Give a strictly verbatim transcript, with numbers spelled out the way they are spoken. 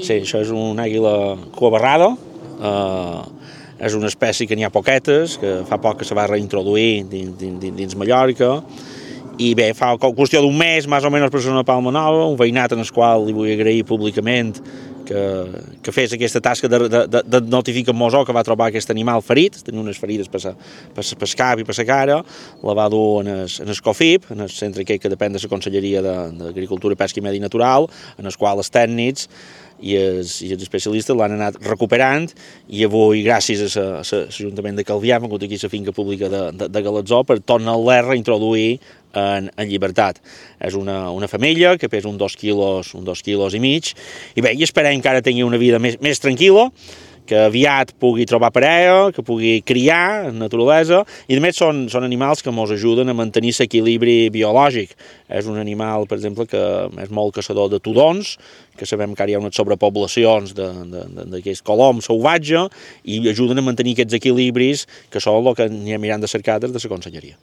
Sí, això és una àguila cuabarrada, eh, és una espècie que n'hi ha poquetes, que fa poc que se va reintroduir dins, dins, dins Mallorca, i bé, fa qüestió d'un mes, més o menys, per ser una palma nova, un veïnat en el qual li vull agrair públicament que, que fes aquesta tasca de, de, de, de notificar al mosó que va trobar aquest animal ferit, tenia unes ferides per, per, per el cap i per la cara, la va dur en el, en el COFIP, en el centre aquell que depèn de la Conselleria d'Agricultura, Pesca i Medi Natural, en el qual els tècnics i els, i els especialistes l'han anat recuperant, i avui, gràcies a l'Ajuntament de Calvià, hem hagut aquí la finca pública de, de, de Galatzó per tornar-la a reintroduir en, en llibertat. És una, una femella que pesa uns dos quilos, uns dos quilos i mig, i bé, i esperem que ara tingui una vida més, més tranquil·la, que aviat pugui trobar parella, que pugui criar en naturalesa, i a més són, són animals que ens ajuden a mantenir l'equilibri biològic. És un animal, per exemple, que és molt caçador de tudons, que sabem que ara hi ha unes sobrepoblacions d'aquest colom salvatge, i ajuden a mantenir aquests equilibris, que són el que anirem mirant de cercar des de la Conselleria.